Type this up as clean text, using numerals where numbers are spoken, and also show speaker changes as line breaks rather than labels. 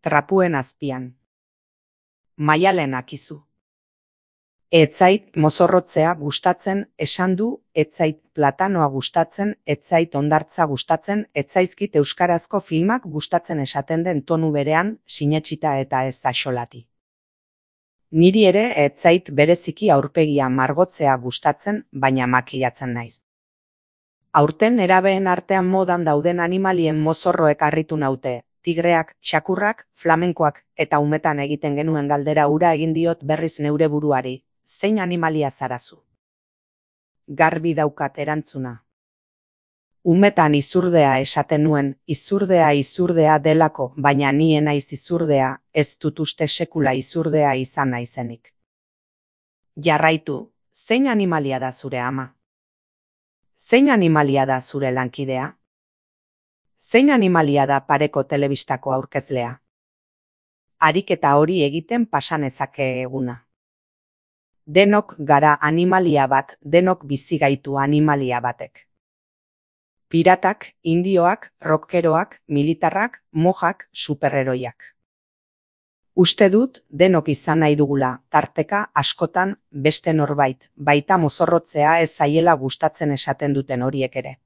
Trapuen azpian. Maialen akizu. Etzait mozorrotzea gustatzen esan du, etzait platanoa gustatzen, etzait hondartza gustatzen, etzaizkit euskarazko filmak gustatzen esaten den tonu berean, sinetsita eta ez axolati. Niri ere etzait bereziki aurpegia margotzea gustatzen, baina makilatzen naiz. Aurten nerabeen artean modan dauden animalien mozorroek harritu naute, tigreak, txakurrak, flamenkoak, eta umetan egiten genuen galdera hura egin diot berriz neure buruari. Zein animalia zarazu? Garbi daukat erantzuna. Umetan izurdea esaten nuen, izurdea delako, baina ni ez naiz izurdea, ez dut uste sekula izurdea izan naizenik. Jarraitu, zein animalia da zure ama? Zein animalia da zure lankidea? Zein animalia da pareko telebistako aurkezlea? Ariketa hori egiten pasanezake eguna. Denok gara animalia bat, denok bizi gaitu animalia batek. Piratak, indioak, rockeroak, militarrak, mojak, superheroiak. Uste dut denok izan nahi dugula, tarteka askotan beste norbait, baita mozorrotzea ez zaiela gustatzen esaten duten horiek ere.